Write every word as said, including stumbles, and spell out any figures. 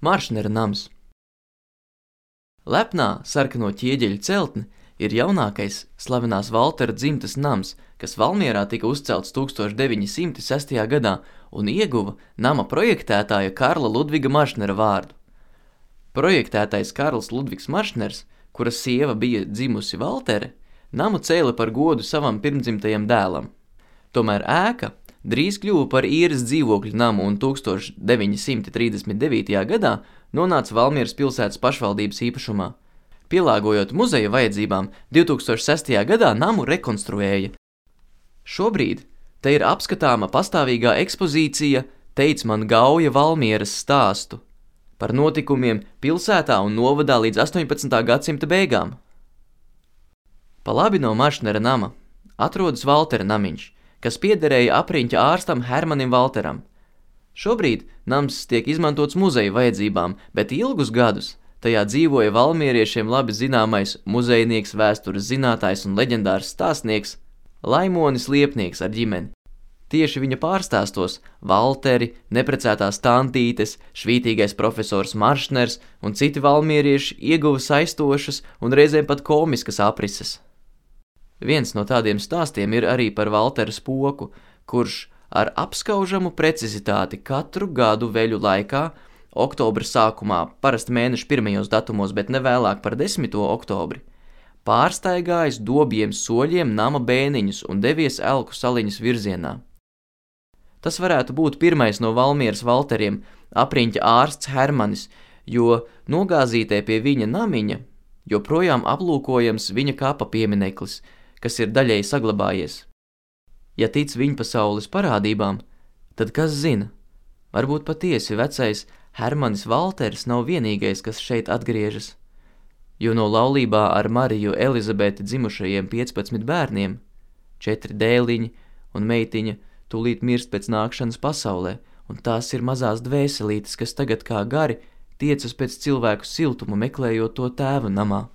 Maršnera nams. Lepnā sarkano ķieģeļu celtne ir jaunākais slavenās Valtera dzimtes nams, kas Valmierā tika uzcelts tūkstoš deviņi simti sestajā gadā un ieguva nama projektētāja Karla Ludviga Maršnera vārdu. Projektētais Karls Ludvigs Maršners, kura sieva bija dzimusi Valtere, namu cēla par godu savam pirmdzimtajam dēlam. Tomēr ēka drīz kļuva par īres dzīvokļu namu un tūkstoš deviņi simti trīsdesmit devītajā gadā nonāca Valmieras pilsētas pašvaldības īpašumā. Pielāgojot muzeja vajadzībām, divi tūkstoši sestajā gadā namu rekonstruēja. Šobrīd te ir apskatāma pastāvīgā ekspozīcija Teic man Gauja Valmieras stāstu par notikumiem pilsētā un novadā līdz astoņpadsmitā gadsimta beigām. Pa labi no Maršnera nama atrodas Valtera namiņš, kas piederēja apriņķa ārstam Hermanim Valteram. Šobrīd nams tiek izmantots muzeja vajadzībām, bet ilgus gadus tajā dzīvoja valmieriešiem labi zināmais muzejnieks, vēstures zinātājs un leģendārs stāstnieks Laimonis Liepnieks ar ģimeni. Tieši viņa pārstāstos Valteri, neprecētās tantītes, švītīgais profesors Maršners un citi valmierieši ieguva saistošas un reizēm pat komiskas aprises. Viens no tādiem stāstiem ir arī par Valtera spoku, kurš ar apskaužamu precizitāti katru gadu veļu laikā, oktobra sākumā, parasti mēneša pirmajos datumos, bet ne vēlāk par desmito oktobri, pārstaigājis dobjiem soļiem nama bēniņus un devies Elku saliņas virzienā. Tas varētu būt pirmais no Valmieras Valteriem, apriņķa ārsts Hermanis, jo nogāzītē pie viņa namiņa joprojām aplūkojams viņa kapa piemineklis, kas ir daļēji saglabājies. Ja tic viņpasaules parādībām, tad kas zina, varbūt patiesi vecais Hermanis Valters nav vienīgais, kas šeit atgriežas, jo no laulībā ar Mariju Elizabeti dzimušajiem piecpadsmit bērniem, četri dēliņi un meitiņa tūlīt mirst pēc nākšanas pasaulē, un tās ir mazās dvēselītes, kas tagad kā gari tiecas pēc cilvēku siltuma meklējot to tēva namā.